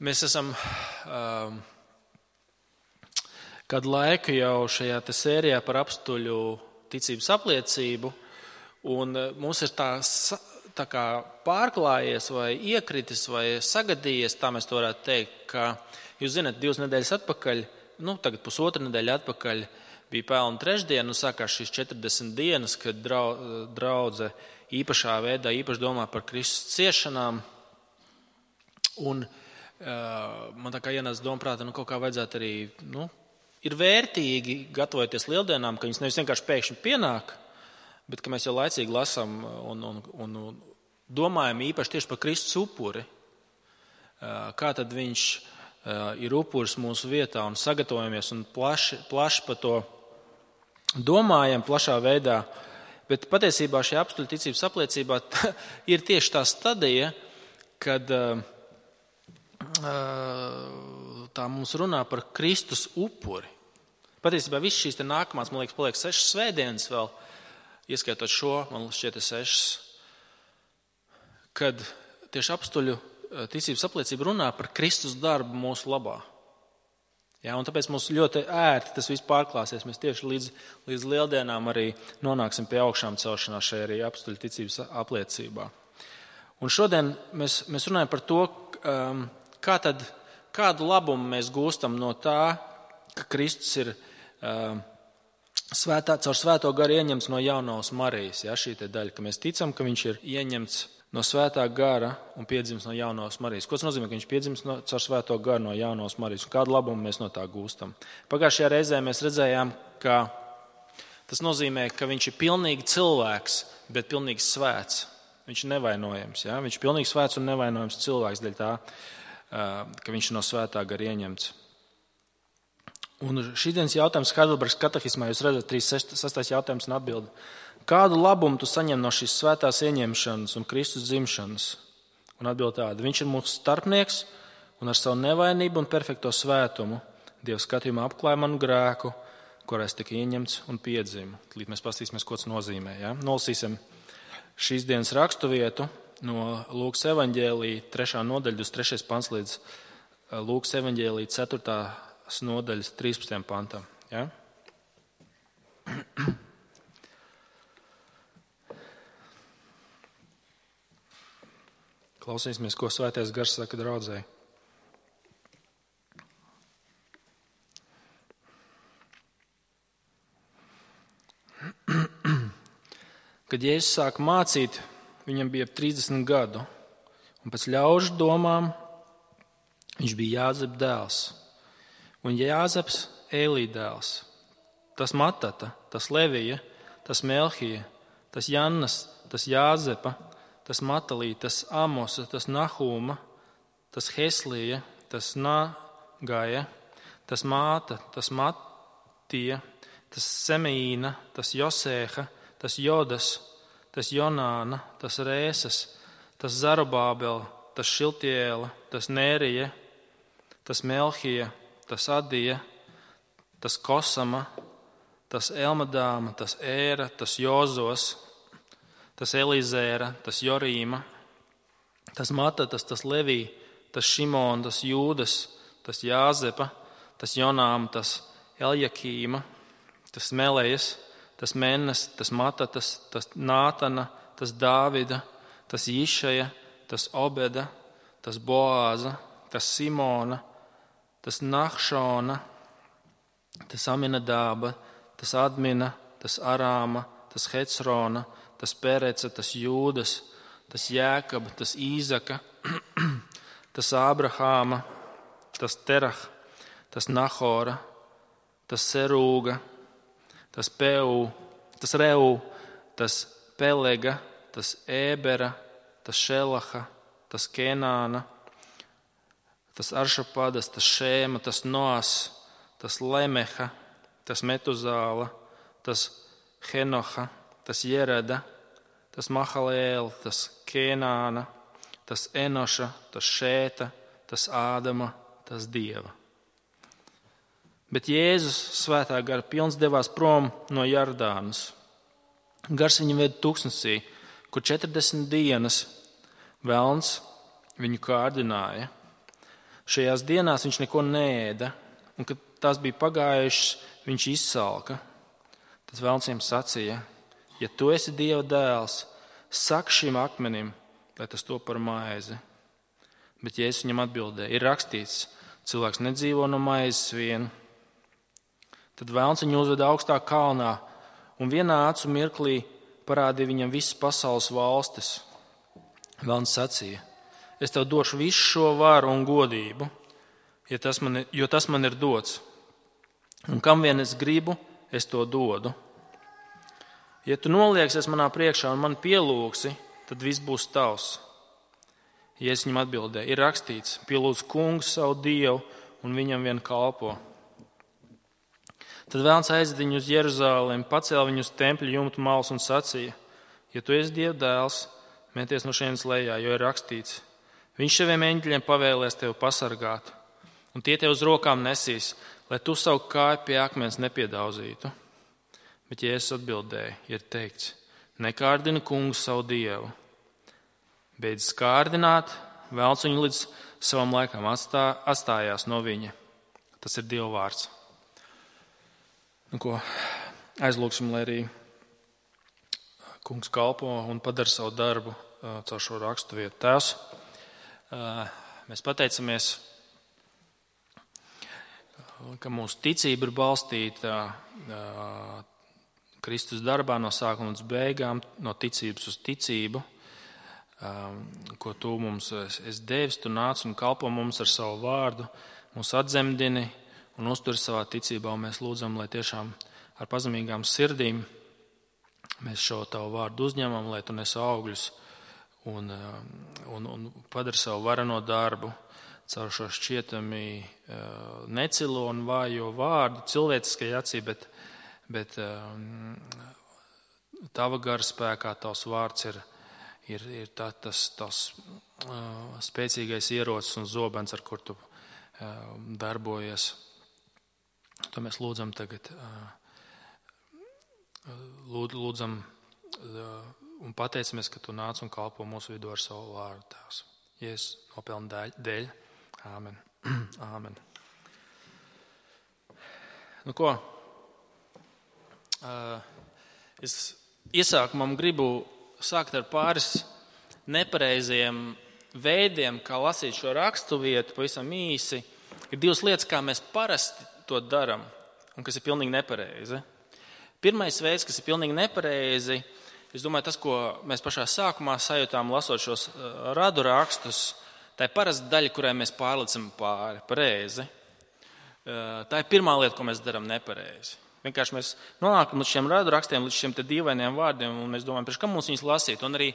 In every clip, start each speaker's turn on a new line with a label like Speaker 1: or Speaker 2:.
Speaker 1: Mēs esam kādu laiku jau šajā sērijā par apstuļu ticības apliecību, un mums ir tā kā pārklājies vai iekritis vai sagadījies, tā mēs to varētu teikt, ka jūs zināt, 2 nedēļas atpakaļ, tagad pusotra nedēļa atpakaļ bija Pelnu trešdiena, un sākās šīs 40 dienas, kad draudze īpašā veidā īpaši domā par Kristus ciešanām, un man tā kā ienāca doma prātā, kaut kā vajadzētu arī, ir vērtīgi gatavoties lieldienām, ka viņas nevis vienkārši pēkšņi pienāk, bet ka mēs jau laicīgi lasām un domājam īpaši tieši par Kristus upuri. Kā tad viņš ir upuris mūsu vietā un sagatavojamies un plaši par to domājam plašā veidā. Bet patiesībā šī apstuļu ticības apliecībā ir tieši tā stadija, kad tā mums runā par Kristus upuri. Patiesībā viss šīs nākamās, man liekas, paliek 6 svētdienas vēl, ieskaitot šo, man šķiet 6, kad tieši apstuļu ticības apliecība runā par Kristus darbu mūsu labā. Ja, un tāpēc mums ļoti ērti tas viss pārklāsies. Mēs tieši līdz lieldienām arī nonāksim pie augšām celšanās šajā arī apstuļu ticības apliecībā. Un šodien mēs runājam par to, kādu labumu mēs gūstam no tā, ka Kristus ir caur svēto garu ieņemts no jaunās Marijas. Ja, šī daļa, ka mēs ticam, ka viņš ir ieņemts no svētā gara un piedzimis no jaunās Marijas. Ko tas nozīmē, ka viņš piedzimis caur svēto garu no jaunās Marijas? Un kādu labumu mēs no tā gūstam? Pagājušajā reizē mēs redzējām, ka tas nozīmē, ka viņš ir pilnīgi cilvēks, bet pilnīgi svēts. Viņš ir nevainojams. Ja? Viņš ir pilnīgi svēts un nevainojams cilvēks dēļ tā, ka viņš ir no svētā gara ieņemts. Un šīdienas jautājums Heidelbergas katehismā, jūs redzat, 36. jautājums un atbildi. Kādu labumu tu saņem no šīs svētās ieņemšanas un Kristus dzimšanas? Un atbild tāda: viņš ir mūsu starpnieks un ar savu nevainību un perfekto svētumu Dieva skatījumā apklāja manu grēku, kurā es tika ieņemts un piedzimu. Līdz mēs paskatīsimies, ko tas nozīmē. Ja? Nolasīsim šīs dienas raksturvietu no Lūkas evaņģēlija 3. nodaļa, 3. pants līdz Lūkas evaņģēlija 4. nodaļas 13. pantam. Ja? Klausīsimies, ko Svētais Gars saka draudzei. Kad Jēzus sāka mācīt, viņam bija 30 gadu, un pēc ļaužu domām viņš bija Jāzepa dēls. Un Jāzeps Ēlī dēls, tas Matata, tas Levija, tas Melhija, tas Jannas, tas Jāzepa, tas Matalī, tas Amosa, tas Nahūma, tas Heslija, tas Nagaja, tas Māta, tas Matija, tas Semeīna, tas Josēha, tas Jodas, tas Jonāna, tas Rēsas, tas Zarubābela, tas Šiltiela, tas Nērija, tas Melhija, tas Adija, tas Kosama, tas Elmadāma, tas Ēra, tas Jozos, tas Elizēra, tas Jorīma, tas Matatas, tas Levī, tas Šimon, tas Jūdas, tas Jāzepa, tas Jonām, tas Eljakīma, tas Melejas, tas Mennas, tas Matatas, tas Nātana, tas Dāvida, tas Jišaja, tas Obeda, tas Boāza, tas Simona, tas Nahšona, tas Aminadāba, tas Admina, tas Arāma, tas Hecrona, tas Pereca, tas Jūdas, tas Jēkaba, tas Īzaka, tas Ābrahāma, tas Terah, tas Nahora, tas Serūga, tas Reu, tas Pelega, tas Ēbera, tas Šelaha, tas Kenāna, tas Aršapadas, tas Šēma, tas Noas, tas Lemeha, tas Metuzāla, tas Henoha, tas Jereda, tas Mahalēla, tas Kenāna, tas Enoša, tas Šēta, tas Ādama, tas Dieva. Bet Jēzus svētā gara pilns devās prom no Jordānas. Gars viņu veda tūkstnesī, kur 40 dienas velns viņu kārdināja. šajās dienās viņš neko neēda, un kad tās bija pagājušas, viņš izsalka. Tad Velns viņam sacīja: ja tu esi Dieva dēls, saki šim akmenim, lai tas top par maizi. Bet Jēzus viņam atbildēja: ir rakstīts, cilvēks nedzīvo no maizes vien. Tad Velns viņu uzveda augstā kalnā un vienā acu mirklī parādīja viņam visas pasaules valstis. Velns sacīja: es tev došu visu šo varu un godību, jo tas man ir dots. Un kam vien es gribu, es to dodu. Ja tu nolieksies manā priekšā un man pielūgsi, tad viss būs tavs. Jēzus viņam atbildēja: ir rakstīts, pielūdz kungu savu Dievu un viņam vien kalpo. Tad Velns aizveda viņu uz Jeruzalemi, pacēla viņu uz tempļa jumta malas un sacīja: ja tu esi Dieva dēls, meties no šejienes lejā, jo ir rakstīts, viņš saviem eņģeļiem pavēlēs tevi pasargāt, un tie tev uz rokām nesīs, lai tu savu kāju pie akmens nepiedauzītu. Bet Jēzus atbildēja: ir teikts, nekārdini kungu savu Dievu. Beidz kārdināt, Velns viņu līdz savam laikam atstājās no viņa. Tas ir Dieva vārds. Nu, ko aizlūksim, lai arī kungs kalpo un padara savu darbu caur šo rakstu vietu. Tēvs, mēs pateicamies, ka mūsu ticība ir balstīta Kristus darbā no sākuma līdz beigām, no ticības uz ticību, ko tu mums esi devis, tu nāc un kalpo mums ar savu vārdu, mūs atzemdini un uztur savā ticībā, un mēs lūdzam, lai tiešām ar pazemīgām sirdīm mēs šo tavu vārdu uzņemam, lai tu nes augļus un padari savu vareno darbu caur šo šķietami necilo un vājo vārdu cilvēciskai acī, bet tava gara spēkā tavs vārds ir tas spēcīgais ierocis un zobens, ar kur tu darbojies. To mēs lūdzam tagad. Lūdzam un pateicamies, ka tu nāc un kalpo mūsu vidū ar savu vārdu, Tēvs. Jēzus nopelna dēļ. Āmen. Āmen. Nu ko? Es iesākumam gribu sākt ar pāris nepareiziem veidiem, kā lasīt šo rakstu vietu, pavisam īsi. Ir divas lietas, kā mēs parasti to daram, un kas ir pilnīgi nepareizi. Pirmais veids, kas ir pilnīgi nepareizi, es domāju, tas, ko mēs pašā sākumā sajūtām, lasot šos radu rakstus, tā ir parasta daļa, kurai mēs pārlicam pāri, pareizi. Tā ir pirmā lieta, ko mēs darām nepareizi. Vienkārši mēs nonākam līdz šiem radu rakstiem, līdz šiem te dīvainiem vārdiem, un mēs domājam, priekš kam mums viņus lasīt, un arī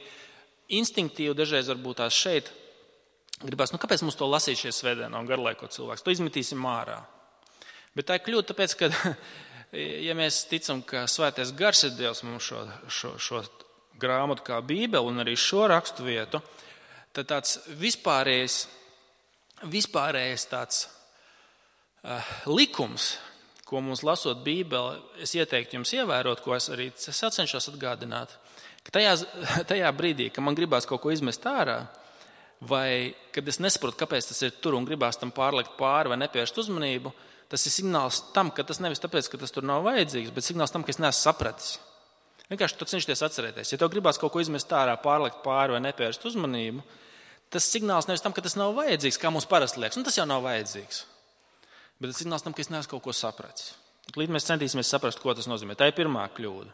Speaker 1: instinktīvi dažreiz varbūt tās šeit gribās, kāpēc mums to lasīt šie svētdienā un garlaiko cilvēks, to izmetīsim ārā. Bet tā ir kļūda, tāpēc, ka, ja mēs ticam, ka svētais gars ir Dievs mums šo grāmatu kā Bībeli un arī šo rakstu vietu, tad tāds vispārējais tāds likums, ko mums lasot Bībeli, es ieteiktu jums ievērot, ko es arī cenšos atgādināt, ka tajā brīdī, kad man gribās kaut ko izmest ārā, vai kad es nesaprotu, kāpēc tas ir tur un gribās tam pārlikt pāri vai nepievērst uzmanību, tas ir signāls tam, ka tas nevis tāpēc, ka tas tur nav vajadzīgs, bet signāls tam, ka es neesmu sapratis. Vienkārši tu cenšties atcerēties. Ja tev gribās kaut ko izmest ārā, pārlikt pāri vai nepievērst uzmanību, tas signāls nevis tam, ka tas nav vajadzīgs, kā mums parasti liekas. Tas jau nav vajadzīgs. Bet tas signāls tam, ka es neesmu kaut ko sapratis. Līdz mēs centīsimies saprast, ko tas nozīmē. Tā ir pirmā kļūda.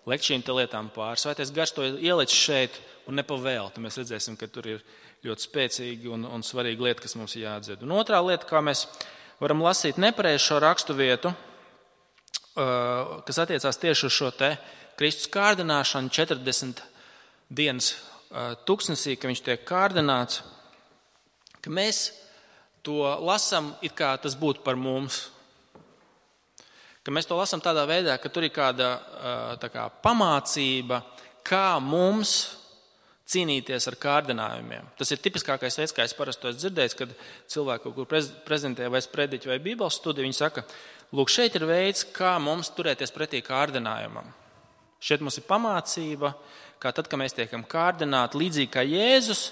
Speaker 1: Liekt šīm te lietām pāri. Svētais gars to ieliec šeit un nepavēlti. Mēs redzēsim, ka tur ir ļoti spēcīgi un svarīga lieta, kas mums jāatdzird. Un otrā lieta, kā mēs varam lasīt nepareizi šo rakstu vietu, kas attiecās tieši uz šo te Kristus kārdināšanu 40 dienas tuksnesī, ka viņš tiek kārdināts, ka mēs to lasam, it kā tas būtu par mums. Ka mēs to lasam tādā veidā, ka tur ir kāda tā kā pamācība, kā mums cīnīties ar kārdinājumiem. Tas ir tipiskākais veids, kā es parasti to esmu dzirdējis, kad cilvēki kaut kur prezentē vai sprediķi vai bībeles studiju, viņi saka, lūk, šeit ir veids, kā mums turēties pretī kārdinājumam. Šeit mums ir pamācība, kā tad, kad mēs tiekam kārdināti, līdzīgi kā Jēzus,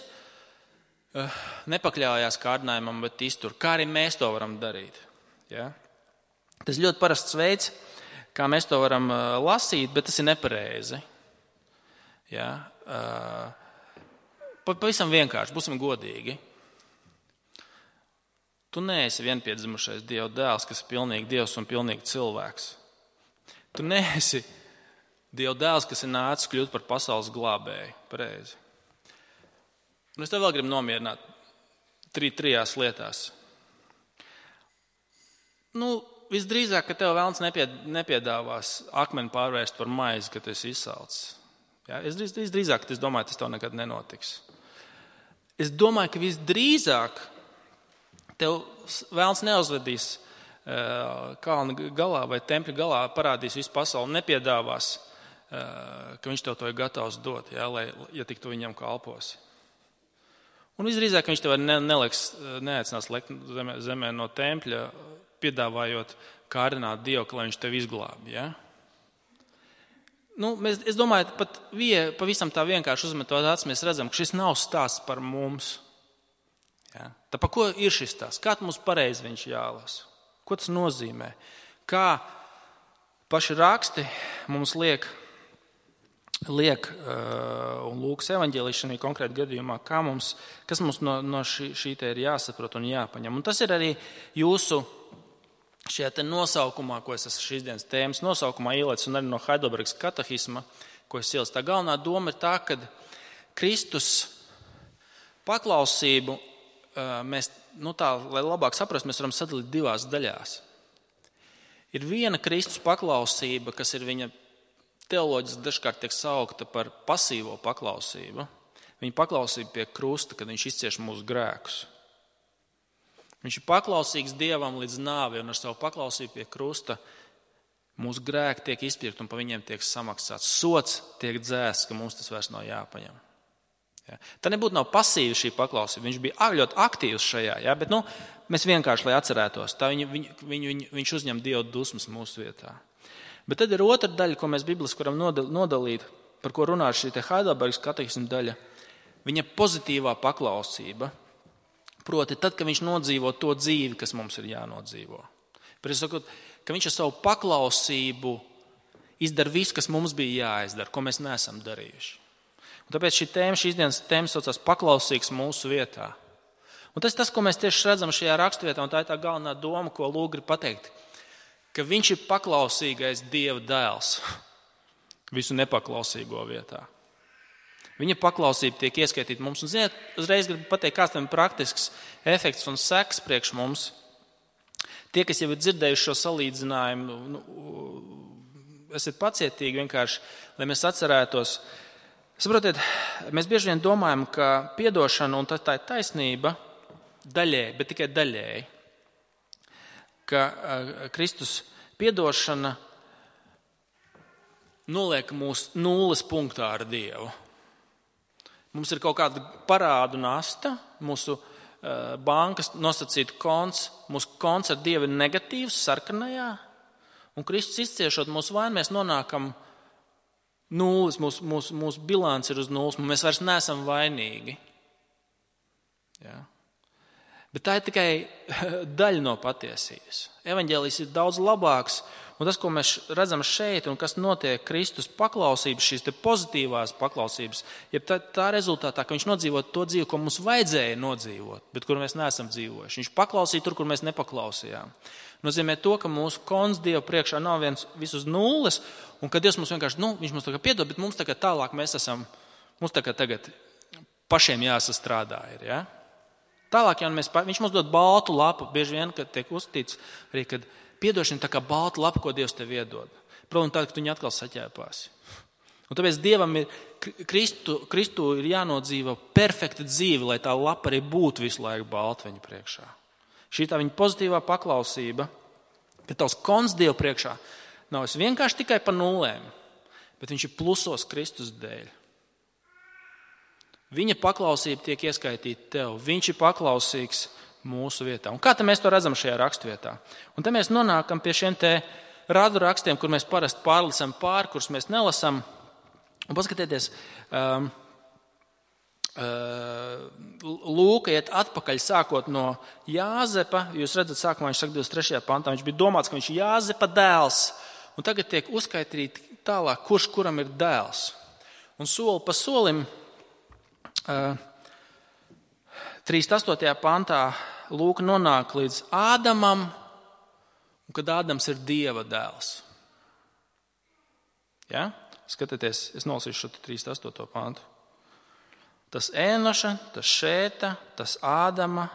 Speaker 1: nepakļaujās kārdinājumam, bet iztur. Kā arī mēs to varam darīt. Ja? Tas ļoti parasts veids, kā mēs to varam lasīt, bet tas ir nepareizi. Ja? Pavisam vienkārši, būsim godīgi. Tu neesi vienpiedzimušais Dieva dēls, kas ir pilnīgi Dievs un pilnīgi cilvēks. Tu neesi Dieva dēls, kas ir nācis kļūt par pasaules glābēju. Pareizi. Un es tev vēl gribu nomierināt trijās lietās. Visdrīzāk, ka tev vēlns nepiedāvās akmeni pārvērst par maizi, kad tu esi izsalcis. Ja? Visdrīzāk, es domāju, tas tev nekad nenotiks. Es domāju, ka visdrīzāk tev vēlns neuzvedīs kalna galā vai tempļa galā, parādīs visu pasauli, nepiedāvās, ka viņš tev to ir gatavs dot, ja tik tu viņam kalposi. Un visdrīzāk viņš tev neaicinās lekt zemē no tempļa, piedāvājot kārdināt Dievu, lai viņš tev izglābi. Ja? Es domāju, pat pavisam tā vienkārši uzmetot acis, mēs redzam, ka šis nav stāsts par mums. Ja? Tā par ko ir šis stāsts? Kā mums pareizi viņš jālasa? Ko tas nozīmē? Kā paši raksti mums liek un Lūkas evaņģēlijs šajā konkrēti gadījumā, kas mums no šī te ir jāsaprot un jāpaņem. Un tas ir arī jūsu šajā te nosaukumā, ko es esmu šīs dienas tēmas nosaukumā ielicis, un arī no Heidelbergas katehisma, ko es ielicu. Tā galvenā doma ir tā, ka Kristus paklausību mēs, lai labāk saprastu, mēs varam sadalīt divās daļās. Ir viena Kristus paklausība, kas ir viņa teoloģiski dažkārt tiek saukta par pasīvo paklausību. Viņa paklausība pie krusta, kad viņš izcieš mūsu grēkus. Viņš ir paklausīgs Dievam līdz nāvei, un ar savu paklausību pie krusta mūsu grēki tiek izpirkti un pa viņiem tiek samaksāts. Sods tiek dzēsts, ka mums tas vairs nav jāpaņem. Ja? Tā nebūtu nav pasīva šī paklausība. Viņš bija ļoti aktīvs šajā, ja? Bet mēs vienkārši, lai atcerētos, tā viņš uzņem Dieva dusmas mūsu vietā. Bet tad ir otra daļa, ko mēs bibliski varam nodalīt, par ko runā šī Heidelbergas katehisma daļa. Viņa pozitīvā paklausība, proti tad, kad viņš nodzīvo to dzīvi, kas mums ir jānodzīvo. Bet es saku, ka viņš ar savu paklausību izdara visu, kas mums bija jāizdara, ko mēs neesam darījuši. Un tāpēc šīs dienas tēma saucās paklausīgs mūsu vietā. Un tas ir tas, ko mēs tieši redzam šajā raksturvietā, un tā ir tā galvenā doma, ko Lūks grib pateikt. Ka viņš ir paklausīgais Dieva dēls visu nepaklausīgo vietā. Viņa paklausība tiek ieskaitīta mums. Un, ziniet, uzreiz gribu pateikt, kāds tam ir praktisks efekts un seks priekš mums. Tie, kas jau ir dzirdējuši šo salīdzinājumu, esiet pacietīgi vienkārši, lai mēs atcerētos. Saprotiet, mēs bieži vien domājam, ka piedošana, un tā ir taisnība, daļēji, bet tikai daļēji, ka Kristus piedošana noliek mūs nulles punktā ar Dievu. Mums ir kaut kāda parādu nasta, mūsu bankas nosacīta konts, mūsu konts ar Dievu ir negatīvs, sarkanajā, un Kristus izciešot mūsu vainu, mēs nonākam nulles, mūsu bilants ir uz nulles, un mēs vairs neesam vainīgi. Ja? Bet tā ir tikai daļa no patiesības. Evaņģēlijs ir daudz labāks, un tas, ko mēs redzam šeit, un kas notiek Kristus paklausības, šīs te pozitīvās paklausības, ir tā rezultātā, ka viņš nodzīvo to dzīvi, ko mums vajadzēja nodzīvot, bet kur mēs neesam dzīvojuši. Viņš paklausīja tur, kur mēs nepaklausījām. Nozīmē to, ka mūsu konts Dieva priekšā nav viens uz nulles, un ka Dievs mums vienkārši, viņš mums tagad piedod, bet mums tagad tālāk mums tagad pašiem jāsastrādā ir, ja? Tālāk, ja viņš mums dod baltu lapu, bieži vien, kad tiek uzstīts arī, kad piedošana tā kā balta lapa, ko Dievs tev iedod. Protams, tā, ka tu viņu atkal saķēpāsi. Un tāpēc Dievam Kristu ir jānodzīvo perfekta dzīve, lai tā lapa arī būtu visu laiku balta viņa priekšā. Šī tā viņa pozitīvā paklausība, ka tavs konts Dievu priekšā nav vienkārši tikai pa nulēm, bet viņš ir plusos Kristus dēļ. Viņa paklausība tiek ieskaitīta tev. Viņš ir paklausīgs mūsu vietā. Un kā mēs to redzam šajā rakstvietā? Un te mēs nonākam pie šiem te radu rakstiem, kur mēs parasti pārlasam pāri, kurus mēs nelasam. Un paskatieties, Lūka iet atpakaļ sākot no Jāzepa. Jūs redzat, sākumā viņš saka 23. pantā, viņš bija domāts, ka viņš ir Jāzepa dēls. Un tagad tiek uzskaitīti tālāk, kurš kuram ir dēls. Un soli pa solim 38. pantā Lūka nonāk līdz Ādamam, un kad Ādams ir Dieva dēls. Ja? Skatieties, es nolasīšu šo 38. pantu. Tas Ēnoša, tas Šēta, tas Ādama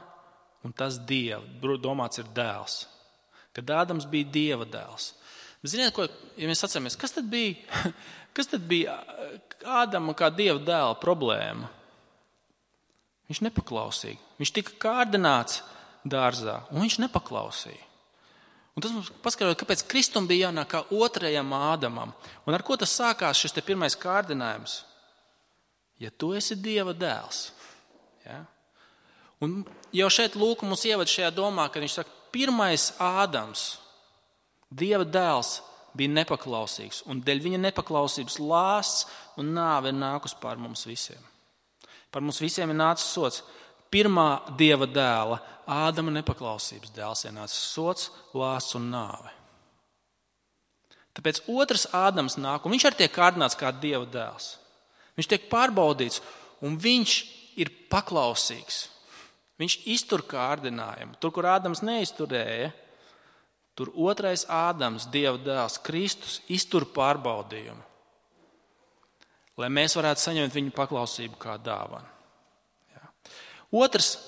Speaker 1: un tas Dieva. Domāts ir dēls. Kad Ādams bija Dieva dēls. Bet ziniet, ko, ja mēs atceramies, kas tad bija Ādama kā Dieva dēla problēma? Viņš nepaklausīja. Viņš tika kārdināts dārzā, un viņš nepaklausīja. Un tas mums paskaidro, kāpēc Kristum bija jānāk kā otrajam Ādamam. Un ar ko tas sākās šis te pirmais kārdinājums? Ja tu esi Dieva dēls. Ja? Un jau šeit Lūka mums ievada šajā domā, kad viņš saka, pirmais Ādams, Dieva dēls, bija nepaklausīgs. Un dēļ viņa nepaklausības lāsts un nāve ir nākus pār mums visiem. Par mums visiem ir nācis sots. Pirmā Dieva dēla, Ādama nepaklausības dēls, ir nācis sots, lāsts un nāve. Tāpēc otrs Ādams nāk, un viņš arī tiek kārdināts kā Dieva dēls. Viņš tiek pārbaudīts, un viņš ir paklausīgs. Viņš iztur kārdinājumu. Tur, kur Ādams neizturēja, tur otrais Ādams, Dieva dēls, Kristus, iztur pārbaudījumu. Lai mēs varētu saņemt viņu paklausību kā dāvanu. Ja. Otrs,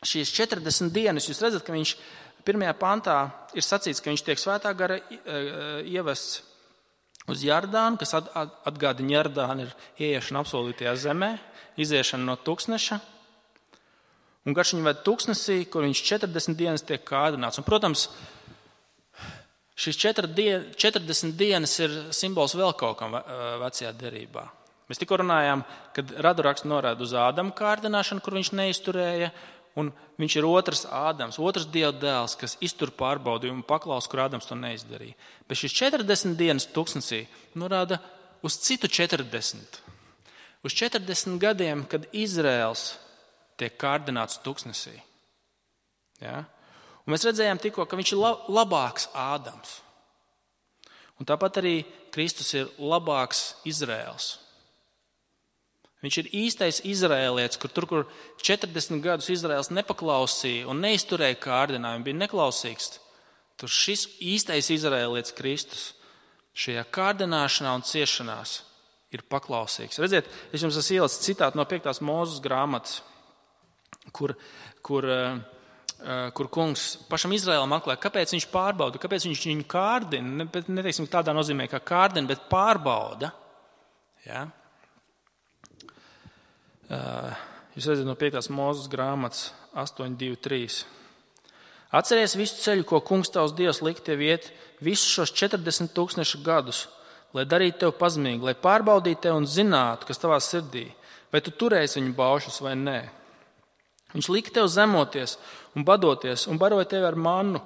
Speaker 1: šīs 40 dienas, jūs redzat, ka viņš 1. pantā ir sacīts, ka viņš tiek svētā gara ievests uz Jardānu, kas atgādina Jardānu, ir ieiešana apsolītajā zemē, iziešana no tuksneša. Un garš viņu ved tuksnesī, kur viņš 40 dienas tiek kārdināts. Un, protams, šīs 40 dienas ir simbols vēl kaut kam vecajā derībā. Mēs tikko runājām, kad raduraksts norāda uz Ādama kārdināšanu, kur viņš neizturēja, un viņš ir otrs Ādams, otrs Dieva dēls, kas iztur pārbaudījumu un paklaus, kur Ādams to neizdarīja. Bet šis 40 dienas tuksnesī norāda uz citu 40. Uz 40 gadiem, kad Izraels tiek kārdināts tuksnesī. Ja? Un mēs redzējām tikko, ka viņš ir labāks Ādams. Un tāpat arī Kristus ir labāks Izraels. Viņš ir īstais izraēlietis, kur 40 gadus Izraels nepaklausīja un neizturēja kārdinājumu, bija neklausīgs. Tur šis īstais izraēlietis Kristus šajā kārdināšanā un ciešanās ir paklausīgs. Redziet, es jums esmu ielicis citātu no 5. Mūzes grāmatas, kur kungs pašam Izraēlam atklāja, kāpēc viņš pārbauda, kāpēc viņš viņu kārdina, neteiksim tādā nozīmē kā kārdina, bet pārbauda. Ja? Jūs redzat no 5. Mūzes grāmatas 8.2.3. Atceries visu ceļu, ko kungs tavs Dievs likt tev iet visus šos 40 000 gadus, lai darītu tev pazemīgi, lai pārbaudītu tev un zinātu, kas tavā sirdī, vai tu turēsi viņu baušus vai nē. Viņš lika tev zemoties un badoties un baroja tevi ar mannu,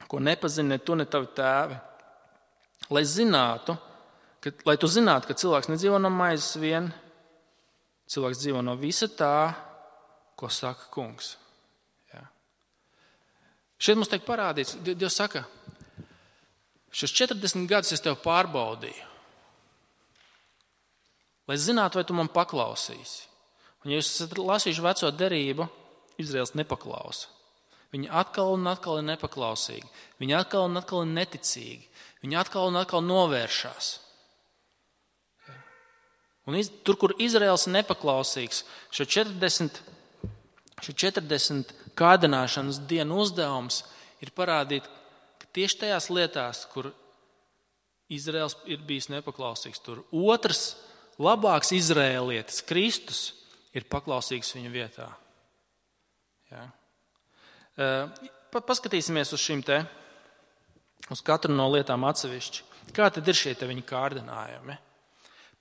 Speaker 1: ko nepazini ne tu, ne tavi tēvi. Lai tu zinātu, ka cilvēks nedzīvo no maizes vien, cilvēks dzīvo no visa tā, ko saka kungs. Ja. Šeit mums tiek parādīts, Dievs saka, šos 40 gadus es tev pārbaudīju, lai zinātu, vai tu man paklausīsi. Un ja jūs esat lasījuši veco derību, Izraels nepaklausa. Viņi atkal un atkal ir nepaklausīgi. Viņi atkal un atkal ir neticīgi. Viņi atkal un atkal novēršās. Un tur, kur Izraels ir nepaklausīgs, šo 40 kārdināšanas dienu uzdevums ir parādīt, ka tieši tajās lietās, kur Izraels ir bijis nepaklausīgs, tur otrs, labāks izraēlietis, Kristus, ir paklausīgs viņa vietā. Ja? Paskatīsimies uz šīm te, uz katru no lietām atsevišķi. Kā tad ir šie te viņa kārdinājumi?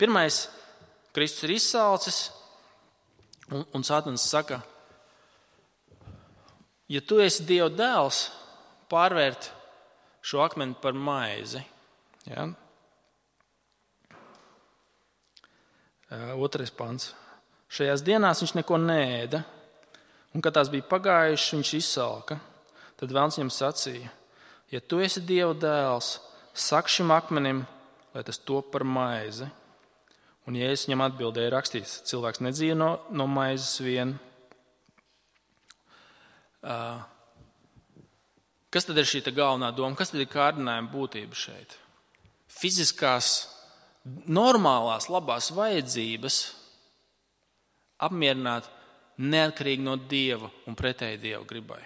Speaker 1: Pirmais, Kristus ir izsalcis, un Sātans saka, ja tu esi Dieva dēls, pārvērt šo akmeni par maizi. Ja? 2. pants. Šajās dienās viņš neko neēda, un, kad tās bija pagājušas, viņš izsalka. Tad Velns viņam sacīja: ja tu esi Dieva dēls, saki šim akmenim, lai tas top par maizi. Un Jēzus viņam atbildēja, rakstīts: cilvēks nedzīvo no maizes vien. Kas tad ir šī galvenā doma? Kas tad ir kārdinājuma būtība šeit? Fiziskās, normālās, labās vajadzības apmierināt neatkarīgi no Dieva un pretēji Dieva gribai.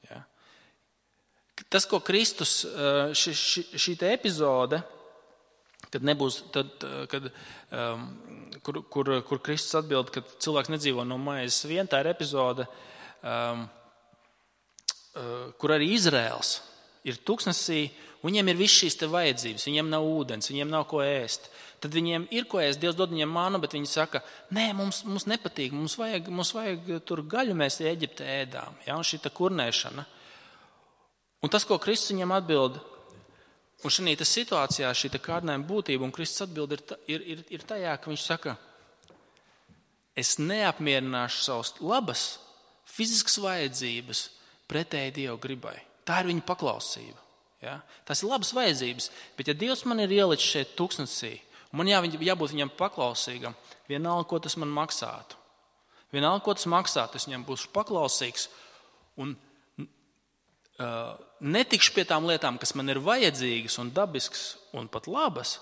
Speaker 1: Ja? Tas, ko Kristus, šī epizode, kad nebūs, kur Kristus atbild, ka cilvēks nedzīvo no maizes vien, tā ir epizode, kur arī Izraels ir tuksnesī, viņiem ir viss šīs te vajadzības, viņiem nav ūdens, viņiem nav ko ēst. Tad viņiem ir ko ēst, Dievs dod viņiem manu, bet viņi saka, nē, mums nepatīk, mums vajag tur gaļu, mēs Eģiptē ēdām. Ja? Un šī tā kurnēšana. Un tas, ko Kristus viņiem atbild, un šī situācijā, šī kārdinājuma būtība, un Kristus atbild ir tajā, ka viņš saka, es neapmierināšu savas labas, fiziskas vajadzības pretēji Dieva gribai. Tā ir viņa paklausība. Ja? Tas ir labas vajadzības, bet ja Dievs man ir ielicis šeit tuksnesī, un man jābūt viņam paklausīgam, vienalga, ko tas man maksātu. Vienalga, ko tas maksātu, es viņam būšu paklausīgs un netikšu pie tām lietām, kas man ir vajadzīgas un dabiskas un pat labas,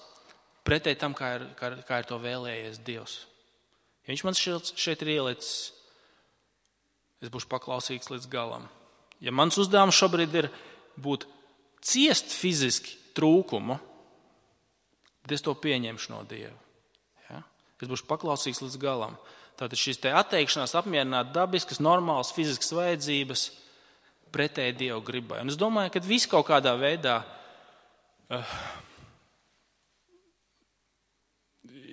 Speaker 1: pretēji tam, kā ir to vēlējies Dievs. Ja viņš man šeit ir ielicis, es būšu paklausīgs līdz galam. Ja mans uzdevums šobrīd ir būt ciest fiziski trūkumu, tad es to pieņemšu no Dieva. Ja? Es būšu paklausīgs līdz galam. Tātad šīs te atteikšanās apmierināt dabiskas, normālas fiziskas vajadzības pretēji Dieva gribai. Un es domāju, ka viss kaut kādā veidā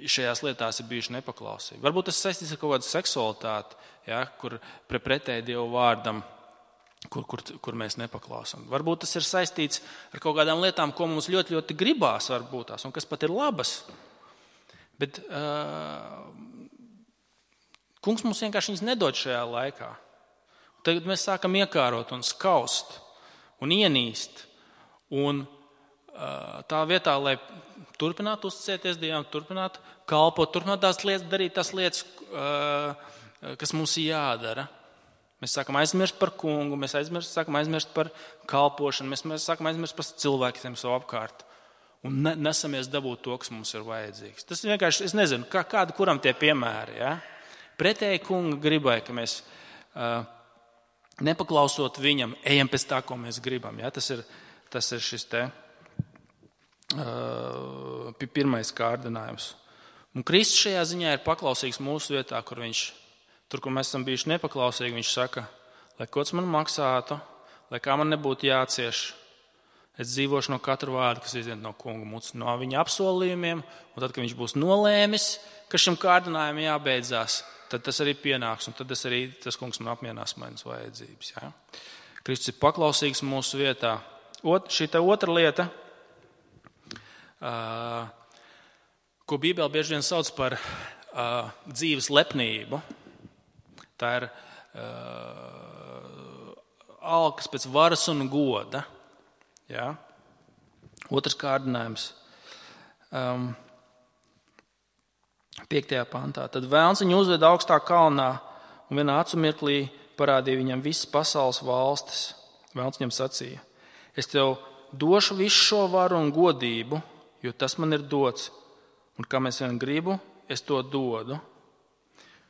Speaker 1: šajās lietās ir bijuši nepaklausīgi. Varbūt tas saistīts ar kaut kādu seksualitāti, ja, kur pretēji Dieva vārdam, kur mēs nepaklausām. Varbūt tas ir saistīts ar kaut kādām lietām, ko mums ļoti, ļoti gribās, varbūt tās, un kas pat ir labas. Bet Kungs mums vienkārši viņas nedod šajā laikā. Tagad mēs sākam iekārot un skaust un ienīst. Un tā vietā, lai turpinātu uzticēties Dievam, turpinātu kalpot, turpinātu tās lietas, darīt tās lietas, kas mums ir jādara. Mēs sākam aizmirst par Kungu, mēs sākam aizmirst par kalpošanu, mēs sākam aizmirst par cilvēkiem savu apkārt. Un nesamies dabūt to, kas mums ir vajadzīgs. Tas vienkārši, es nezinu, kādi kuram tie piemēri. Ja? Pretēji Kunga gribai, ka mēs nepaklausot viņam, ejam pēc tā, ko mēs gribam. Ja? Tas ir šis te pirmais kārdinājums. Un Kristus šajā ziņā ir paklausīgs mūsu vietā, kur mēs esam bijuši nepaklausīgi. Viņš saka, lai ko tas man maksātu, lai kā man nebūtu jācieš, es dzīvošu no katra vārda, kas iziet no Kunga mutes, no viņa apsolījumiem, un tad, kad viņš būs nolēmis, ka šim kārdinājumam jābeidzās, tad tas arī pienāks, un tad tas Kungs man apmierinās manas vajadzības. Ja? Kristus ir paklausīgs mūsu vietā. Šī otra lieta, ko Bībele bieži vien sauc par dzīves lepnību, tā ir alkas pēc varas un goda. Ja? Otrs kārdinājums. 5. pantā. Tad Vēlns viņu uzveda augstā kalnā un vienā acu mirklī parādīja viņam visas pasaules valstis. Vēlns viņam sacīja, es tev došu visu šo varu un godību, jo tas man ir dots, un kam es vien gribu, es to dodu.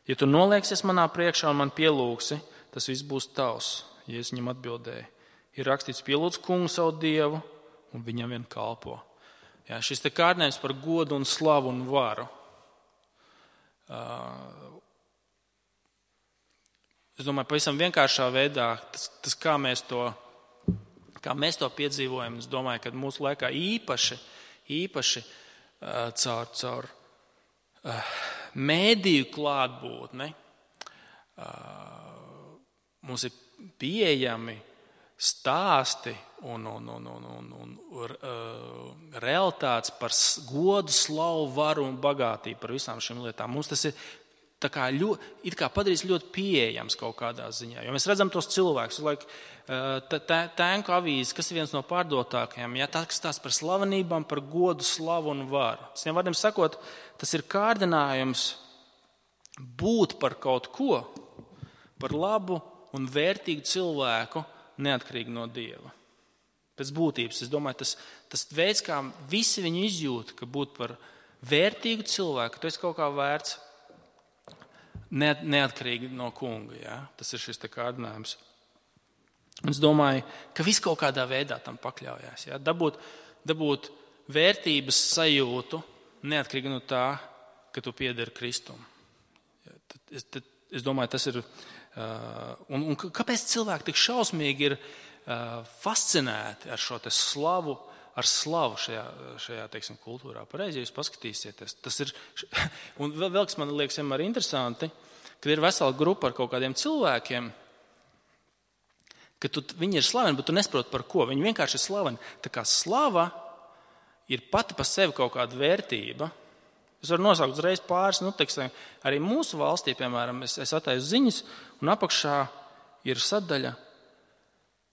Speaker 1: Ja tu nolieksies manā priekšā un man pielūgsi, tas viss būs tavs. Jēzus viņam atbildēja, ir rakstīts, pielūdz Kungu savu Dievu un viņam vien kalpo. Ja, šis te kārdinājums par godu un slavu un varu. Es domāju, pavisam vienkāršā veidā, tas kā mēs to piedzīvojam, es domāju, ka mūsu laikā īpaši caur mēdīju klātbūtni mums ir pieejami stāsti un realitātes par godu, slavu, varu un bagātību, par visām šīm lietām. Mums tas ir it kā padarīs ļoti pieejams kaut kādā ziņā. Jo mēs redzam tos cilvēkus, tēnku avīzes, kas ir viens no pārdotākajiem, tas stāsta par slavenībām, par godu, slavu un varu. Citiem vārdiem sakot, tas ir kārdinājums būt par kaut ko, par labu un vērtīgu cilvēku, neatkarīgi no Dieva. Pēc būtības, es domāju, tas veids, kā visi viņi izjūt, ka būt par vērtīgu cilvēku, tu esi kaut kā vērts neatkarīgi no kunga. Ja? Tas ir šis kārdinājums. Es domāju, ka viss kaut kādā veidā tam pakļaujās. Ja? Dabūt vērtības sajūtu neatkarīgi no tā, ka tu piederi Kristum. Ja? Es domāju, tas ir. Un kāpēc cilvēki tik šausmīgi ir fascinēti ar šo slavu, šajā teiksim, kultūrā? Pareizi, ja jūs paskatīsieties. Tas ir, un vēl kas man liekas vienmēr interesanti, kad ir vesela grupa ar kaut kādiem cilvēkiem, ka viņi ir slaveni, bet tu nesaproti par ko. Viņi vienkārši ir slaveni. Tā kā slava ir pati pa sevi kaut kāda vērtība. Es varu nosaukt uzreiz pāris, teiksim, arī mūsu valstī, piemēram, es attaisu ziņas, un apakšā ir sadaļa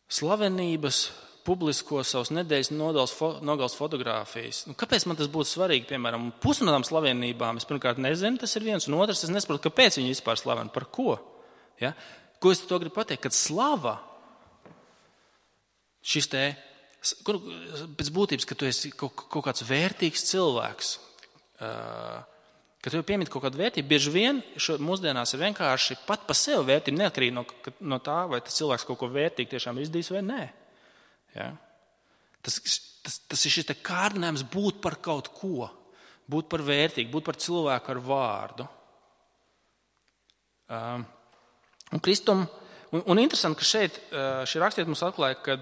Speaker 1: slavenības publisko savas nedēļas nogales fotogrāfijas. Kāpēc man tas būtu svarīgi, piemēram, pusi no tām slavenībām? Es pirmkārt nezinu, tas ir viens, un otrs, es nesaprotu, kāpēc viņi vispār slaveni, par ko. Ja? Ko es to gribu pateikt? Kad slava, pēc būtības, ka tu esi kaut kāds vērtīgs cilvēks, kad tev piemīt kaut kādu vērtību, bieži vien mūsdienās ir vienkārši pat pa sevi vērtība, neatkarīgi no tā, vai tas cilvēks kaut ko vērtīgi tiešām izdarījis vai nē. Ja? Tas ir šis kārdinājums būt par kaut ko, būt par vērtīgu, būt par cilvēku ar vārdu. Un Kristum, un interesanti, ka šeit šī rakstiet mums atklāja, ka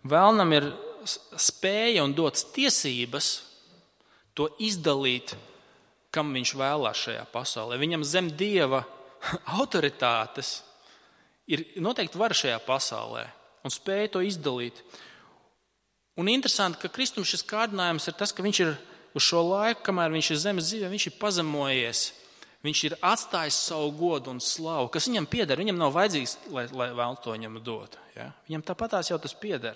Speaker 1: vēlnam ir spēja un dots tiesības to izdalīt, kam viņš vēlās šajā pasaulē. Viņam zem Dieva autoritātes ir noteikti vara šajā pasaulē un spēja to izdalīt. Un interesanti, ka Kristum šis kārdinājums ir tas, ka viņš ir uz šo laiku, kamēr viņš ir zemes dzīvē, viņš ir pazemojies, viņš ir atstājis savu godu un slavu, kas viņam pieder. Viņam nav vajadzīgs, lai vēlns to viņam dot. Ja? Viņam tāpatās jau tas pieder.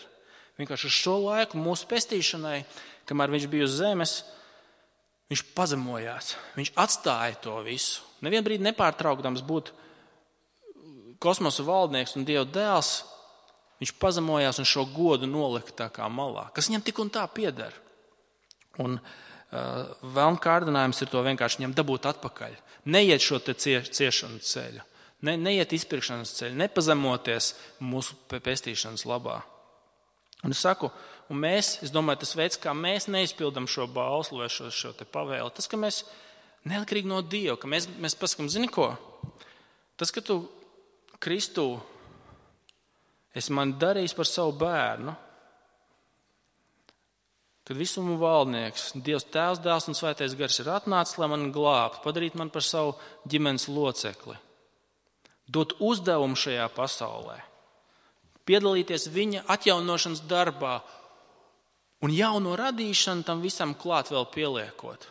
Speaker 1: Vienkārši uz šo laiku mūsu pestīšanai, kamēr viņš bija uz zemes, viņš pazemojās, viņš atstāja to visu. Nevienu brīdi nepārtraukdams būt kosmosa valdnieks un Dieva dēls, viņš pazemojās un šo godu nolika tā kā malā, kas viņam tik un tā pieder. Un vēlna kārdinājums ir to vienkārši viņam dabūt atpakaļ. Neiet šo te ciešanu ceļu, neiet izpirkšanas ceļu, nepazemoties mūsu pestīšanas labā. Un es saku, es domāju, tas veids, kā mēs neizpildam šo bauslu vai šo te pavēli, tas, ka mēs neatkarīgi no Dieva, ka mēs pasakam, zini ko? Tas, ka tu Kristu esi man darījis par savu bērnu, kad visumu valdnieks, Dievs Tēvs, Dēls un Svētais Gars ir atnācis, lai mani glābtu, padarīt man par savu ģimenes locekli, dot uzdevumu šajā pasaulē, piedalīties viņa atjaunošanas darbā un jauno radīšanu tam visam klāt vēl pieliekot.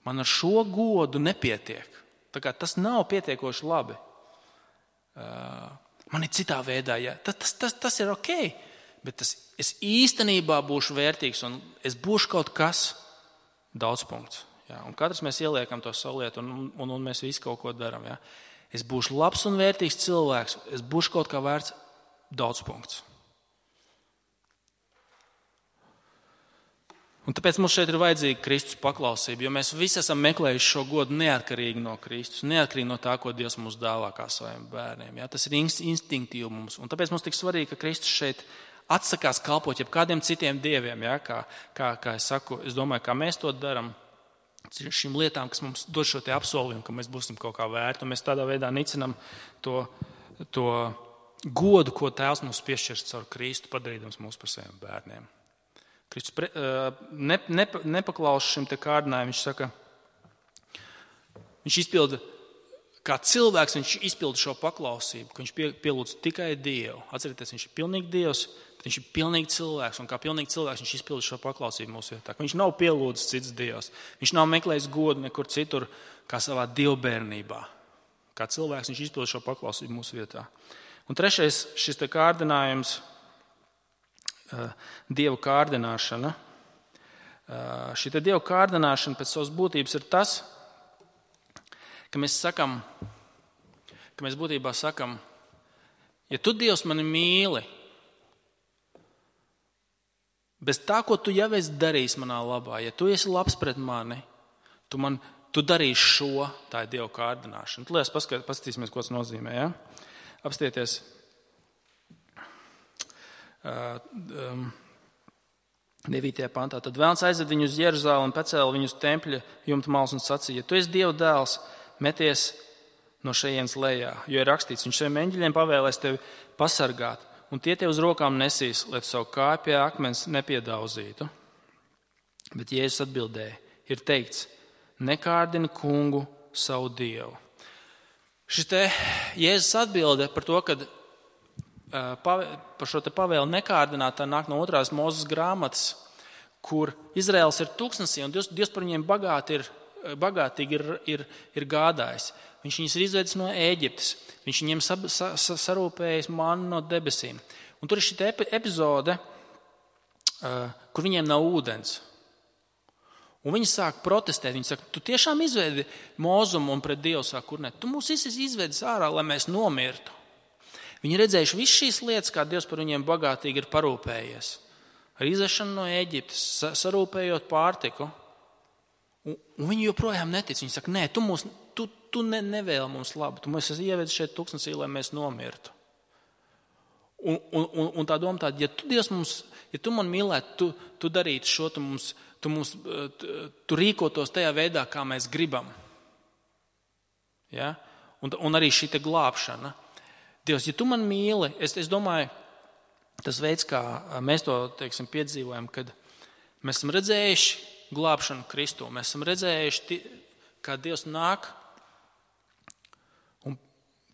Speaker 1: Man ar šo godu nepietiek. Tā kā tas nav pietiekoši labi. Man ir citā veidā, ja. Tas ir ok, bet es īstenībā būšu vērtīgs un es būšu kaut kas daudzpunkts. Ja. Un katrs mēs ieliekam to savu lietu un mēs visi kaut ko daram. Ja. Es būšu labs un vērtīgs cilvēks, es būšu kaut kā vērts daudzpunkts. Un tāpēc mums šeit ir vajadzīga Kristus paklausība, jo mēs visi esam meklējuši šo godu neatkarīgi no Kristus, neatkarīgi no tā, ko Dievs mums dāvā kā saviem bērniem. Ja? Tas ir instinktīvi mums. Un tāpēc mums tik svarīgi, ka Kristus šeit atsakās kalpot jebkādiem citiem dieviem. Ja? Kā es saku, es domāju, kā mēs to daram. Šīm lietām, kas mums dod šo te apsolījumu, ka mēs būsim kaut kā vērti, un mēs tādā veidā nicinam to godu, ko Tēvs mums piešķirs caur Kristu, padarīdams mūs par saviem bērniem. Kristus nepaklaus šim te kārdinājumam, viņš saka, viņš izpilda kā cilvēks viņš izpilda šo paklausību, ka viņš pielūdz tikai Dievu. Atcerieties, viņš ir pilnīgi Dievs, bet viņš ir pilnīgi cilvēks, un kā pilnīgi cilvēks viņš izpilda šo paklausību mūsu vietā. Viņš nav pielūdzis cits Dievs, viņš nav meklējis godu nekur citur, kā savā dievbērnībā. Kā cilvēks viņš izpilda šo paklausību mūsu vietā. Un trešais, šis te kārdinājums, Dieva kārdināšana. Šī te Dieva kārdināšana pēc savas būtības ir tas, ka mēs būtībā sakam, ja tu, Dievs, mani mīli, bez tā, ko tu jau esi darījis manā labā, ja tu esi labs pret mani, tu darīsi šo, tā ir Dieva kārdināšana. Tad liekas, paskatīsimies, ko tas nozīmē. Ja? Apstieties 9. pantā. Tad Vēlns aizved viņu uz Jeruzalemi un pacēla viņu uz tempļa jumta malas un sacīja, ja tu esi Dieva dēls, meties no šejienes lejā, jo ir rakstīts, viņš saviem eņģeļiem pavēlēs tevi pasargāt, un tie tev uz rokām nesīs, lai tu savu kāju pie akmens nepiedauzītu. Bet Jēzus atbildēja, ir teikts, nekārdini kungu savu Dievu. Šis te Jēzus atbilde par to, kad par šo te pavēlu nekārdināt, tā nāk no 2. Mūzes grāmatas, kur Izraels ir tūkstnesī, un Dievs par viņiem bagātīgi ir gādājis. Viņš viņus ir izvedis no Ēģiptes. Viņš viņiem sarūpējis mannu no debesīm. Un tur ir šī epizode, kur viņiem nav ūdens. Un viņi sāk protestēt. Viņi saka, tu tiešām izvedi Mozumu un pret Dievu saka, kur ne? Tu mūs izvedis ārā, lai mēs nomirtu. Viņi redzējuši visu šīs lietas, kā Dievs par viņiem bagātīgi ir parūpējies. Ar izvešanu no Ēģiptes, sarūpējot pārtiku. Un viņi joprojām netic. Viņi saka, nē, tu nevēli mums labu. Tu mūs ievedis šeit tūkstnesī, lai mēs nomirtu. Un tā doma tāda, ja tu, Dievs, ja tu man mīlētu, tu darītu šo, tu rīkotos tajā veidā, kā mēs gribam. Ja? Un arī šī te glābšana. Dievs, ja tu man mīli, es domāju, tas veids, kā mēs to piedzīvojam, kad mēs esam redzējuši glābšanu Kristū, mēs esam redzējuši, kā Dievs nāk un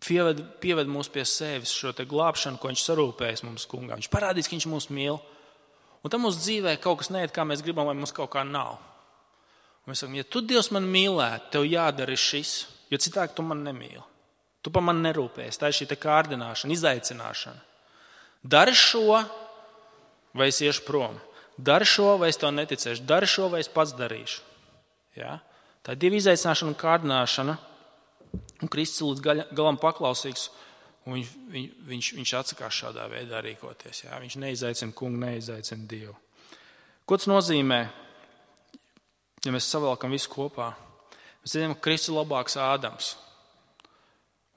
Speaker 1: pieved mūs pie sevis šo te glābšanu, ko viņš sarūpējas mums kungā. Viņš parādīs, ka viņš mūs mīl. Un tam mūsu dzīvē kaut kas neiet, kā mēs gribam, vai mums kaut kā nav. Un mēs sakam, ja tu, Dievs, man mīlētu, tev jādara šis, jo citādi tu man nemīli. Tu par mani nerūpējies. Tā ir šī te kārdināšana, izaicināšana. Dari šo, vai es iešu prom. Dari šo, vai es tev neticēšu. Dari šo, vai es pats darīšu. Ja? Tā ir Dieva izaicināšana un kārdināšana. Un Kristus līdz galam paklausīgs. Un viņš atsakās šādā veidā rīkoties. Ja? Viņš neizaicina kungu, neizaicina Dievu. Ko tas nozīmē? Ja mēs savalkam visu kopā. Mēs zinām, ka Kristus ir labāks Ādams.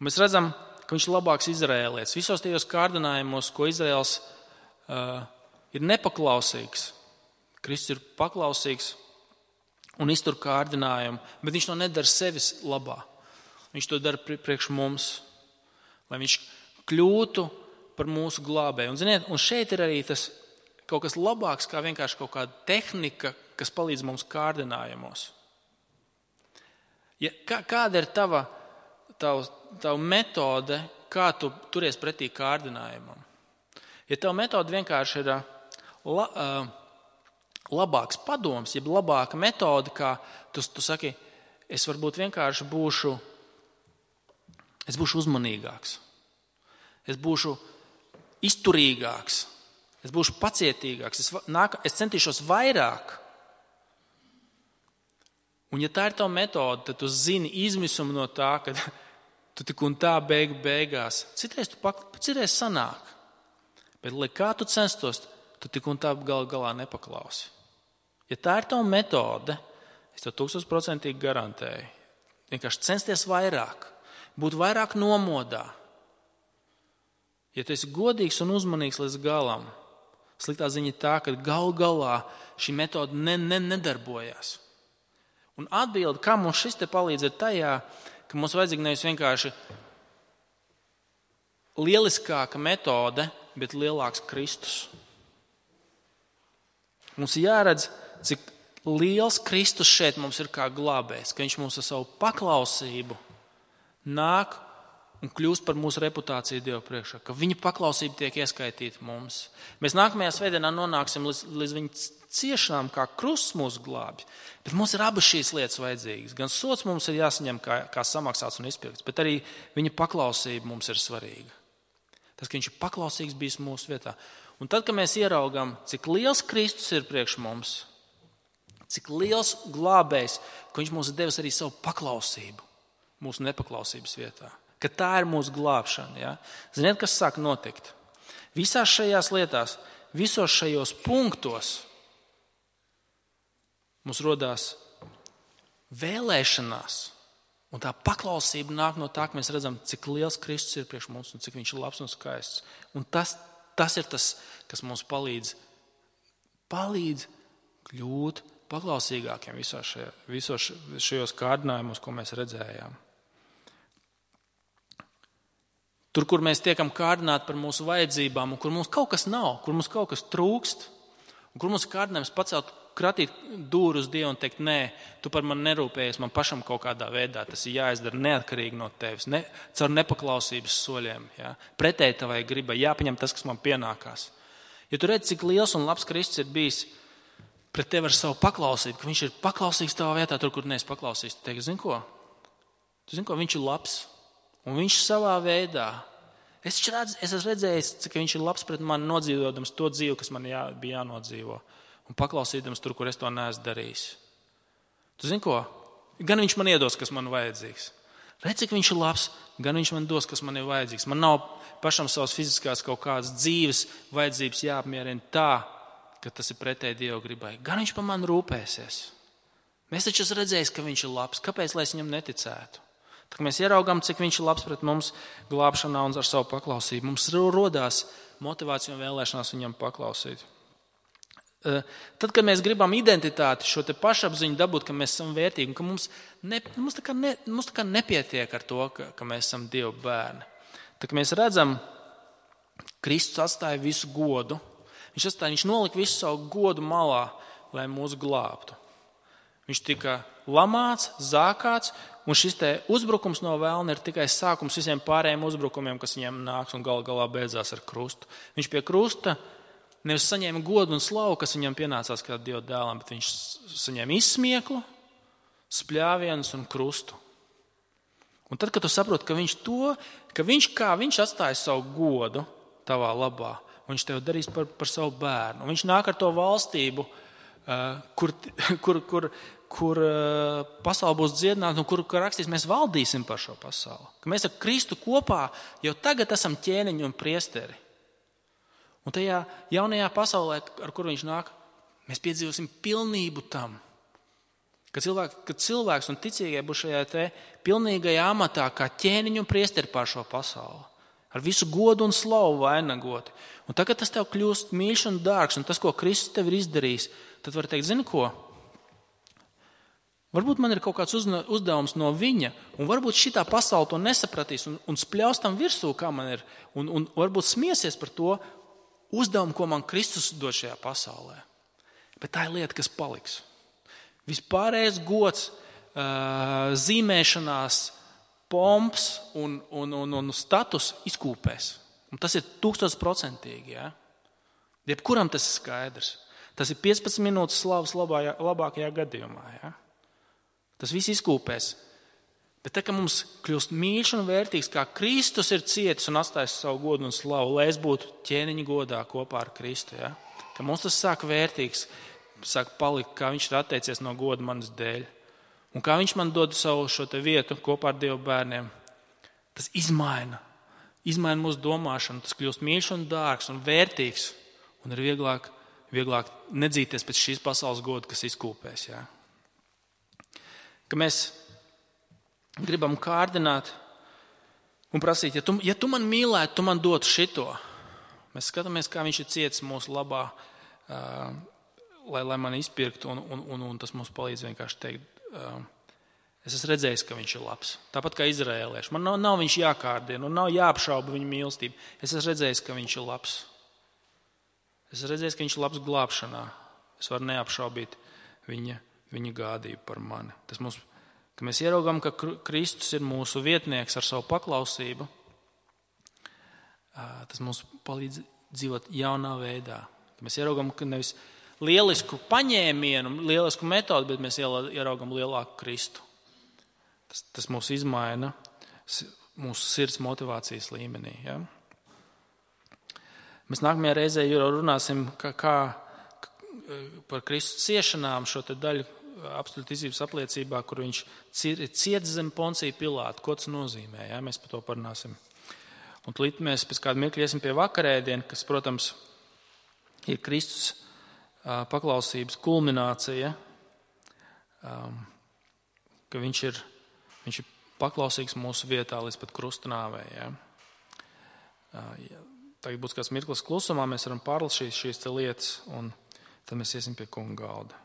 Speaker 1: Un mēs redzam, ka viņš ir labāks izrēlietis. Visos tajos kārdinājumos, ko Izraels ir nepaklausīgs. Kristus ir paklausīgs un iztur kārdinājumu, bet viņš to nedara sevis labā. Viņš to dara priekš mums, lai viņš kļūtu par mūsu glābēju. Un, ziniet, un šeit ir arī tas kaut kas labāks, kā vienkārši kaut kāda tehnika, kas palīdz mums kārdinājumos. Ja, kāda ir tava metode, kā tu turies pretī kārdinājumam? Ja tava metode vienkārši ir labāks padoms, jeb labāka metode, kā tu saki, es varbūt vienkārši būšu uzmanīgāks, es būšu izturīgāks, es būšu pacietīgāks, es centīšos vairāk. Un ja tā ir tava metode, tad tu zini izmisumu no tā, ka tu tik un tā beigās. Citreiz sanāk. Bet, lai kā tu censtos, tu tik un tā galā nepaklausi. Ja tā ir tava metode, es tev 1000% garantēju. Vienkārši censties vairāk, būt vairāk nomodā. Ja tu esi godīgs un uzmanīgs līdz galam, sliktā ziņa tā, ka galā šī metode nedarbojās. Un atbilde, kā mums šis te palīdz, ir tajā, ka mums vajadzīga nevis vienkārši lieliskāka metode, bet lielāks Kristus. Mums jāredz, cik liels Kristus šeit mums ir kā glābējs, ka viņš mums ar savu paklausību nāk un kļūst par mūsu reputāciju Dieva priekšā, ka viņa paklausība tiek ieskaitīta mums. Mēs nākamajā svētdienā nonāksim līdz viņa ciešanām, kā krusts mūs glābj. Bet mums ir abas šīs lietas vajadzīgas. Gan sots mums ir jāsaņem kā samaksāts un izpirkts, bet arī viņa paklausība mums ir svarīga. Tas, ka viņš ir paklausīgs bijis mūsu vietā. Un tad, kad mēs ieraugam, cik liels Kristus ir priekš mums, cik liels glābējs, ka viņš mums ir devis arī savu paklausību mūsu nepaklausības vietā. Ka tā ir mūsu glābšana. Ja? Ziniet, kas sāk notikt? Visās šajās lietās, visos šajos punktos mums rodās vēlēšanās. Un tā paklausība nāk no tā, ka mēs redzam, cik liels Kristus ir priekš mums un cik viņš ir labs un skaists. Un tas ir tas, kas mums palīdz kļūt paklausīgākiem visos šajos kārdinājumos, ko mēs redzējām. Tur, kur mēs tiekam kārdināti par mūsu vajadzībām, un kur mums kaut kas nav, kur mums kaut kas trūkst, un kur mums ir kārdinājums pacelt, kratīt dūru uz Dievu un teikt, nē, tu par mani nerūpējies, man pašam kaut kādā veidā tas ir jāizdara neatkarīgi no tevis, caur nepaklausības soļiem, ja? Pretēji tavai gribai, jāpaņem tas, kas man pienākās. Ja tu redz, cik liels un labs Kristus ir bijis pret tevi ar savu paklausību, ka viņš ir paklausīgs tavā vietā, tur, kur neesi paklausīgs, tu teiksi, zini ko, viņš ir labs. Un viņš savā veidā, es esmu redzējis, cik viņš ir labs pret mani nodzīvodams to dzīvi, kas man bija jānodzīvo. Un paklausīdams tur, kur es to neesmu darījis. Tu zini ko? Gan viņš man iedos, kas man vajadzīgs. Redz, cik viņš ir labs, gan viņš man dos, kas man ir vajadzīgs. Man nav pašam savas fiziskās kaut kādas dzīves vajadzības jāapmierina tā, ka tas ir pretēji Dieva gribai. Gan viņš par mani rūpēsies. Mēs taču esam redzējis, ka viņš ir labs. Kāpēc, lai es viņam neticētu? Tad mēs ieraugām, cik viņš ir labs pret mums glābšanā un ar savu paklausību. Mums rodās motivācija un vēlēšanās viņam paklausīt. Tad, kad mēs gribam identitāti, šo te pašapziņu dabūt, ka mēs esam vērtīgi, un ka mums tā kā nepietiek ar to, ka mēs esam Dieva bērni. Tad, kad mēs redzam, Kristus atstāja visu godu, viņš nolika visu savu godu malā, lai mūs glābtu. Viņš tika lamāts, zākāts, un šis te uzbrukums no vēlna ir tikai sākums visiem pārējiem uzbrukumiem, kas viņiem nāks un galā beidzās ar krustu. Viņš pie krusta nevis saņēma godu un slavu, kas viņam pienācās kā Dieva dēlam, bet viņš saņēma izsmieklu, spļāvienus un krustu. Un tad, kad tu saproti, ka viņš atstāja savu godu tavā labā, un viņš tev darīs par savu bērnu, un viņš nāk ar to valstību, kur pasaule būs dziedināta un kur rakstīs, mēs valdīsim par šo pasauli. Ka mēs ar Kristu kopā jau tagad esam ķēniņi un priesteri. Un tajā jaunajā pasaulē, ar kur viņš nāk, mēs piedzīvosim pilnību tam. Kad cilvēks un ticīgie būs šajā te pilnīgajā amatā kā ķēniņi un priesteri pār šo pasauli. Ar visu godu un slavu vainagoti. Un tagad tas tev kļūst mīļš un dārgs, un tas, ko Kristus tev ir izdarījis, tad var teikt, zini ko? Varbūt man ir kaut kāds uzdevums no viņa, un varbūt šitā pasaule to nesapratīs un spļaus tam virsū, kā man ir, un varbūt smiesies par to uzdevumu, ko man Kristus dod šajā pasaulē. Bet tā ir lieta, kas paliks. Vispārējais gods, zīmēšanās, pomps un status izkūpēs. Un tas ir 1000%. Ja? Jebkuram tas ir skaidrs. Tas ir 15 minūtes slavas labākajā gadījumā. Ja? Tas viss izkūpēs. Bet tā, ka mums kļūst mīļš un vērtīgs, kā Kristus ir cietis un atstājis savu godu un slavu, lai es būtu ķēniņa godā kopā ar Kristu. Ja? Ka mums tas sāk vērtīgs, sāk palikt, kā viņš ir atteicies no goda manas dēļ. Un kā viņš man dod savu šo te vietu kopā ar Dieva bērniem, tas izmaina mūsu domāšanu, tas kļūst mīļš un dārgs un vērtīgs, un ir vieglāk nedzīties pēc šīs pasaules goda, kas izkūpēs. Ja? Ka mēs gribam kārdināt un prasīt, ja tu man mīlētu, tu man dotu šito. Mēs skatāmies, kā viņš ir cietis mūsu labā, lai man izpirktu, un tas mums palīdz vienkārši teikt, es esmu redzējis, ka viņš ir labs. Tāpat kā izraēlieši. Man nav viņš jākārdina un nav jāapšauba viņa mīlestība. Es esmu redzējis, ka viņš ir labs. Es esmu redzējis, ka viņš ir labs glābšanā. Es varu neapšaubīt viņa gādību par mani. Tas mums ka mēs ieraugam, ka Kristus ir mūsu vietnieks ar savu paklausību, tas mums palīdz dzīvot jaunā veidā. Ka mēs ieraugam, ka nevis lielisku paņēmienu, lielisku metodu, bet mēs ieraugam lielāku Kristu. Tas mūs izmaina mūsu sirds motivācijas līmenī. Ja? Mēs nākamajā reizē runāsim par Kristus ciešanām, šo te daļu apstuļu ticības apliecībā, kur viņš ciet zem Poncija Pilāta. Ko tas nozīmē? Ja? Mēs par to parunāsim. Un tūlīt mēs pēc kāda mirkļa iesim pie vakarēdiena, kas, protams, ir Kristus paklausības kulminācija, ka viņš ir paklausīgs mūsu vietā līdz pat krusta nāvei. Ja? Tagad būs kāds mirklis klusumā, mēs varam pārlasīt šīs lietas, un tad mēs iesim pie kunga galda.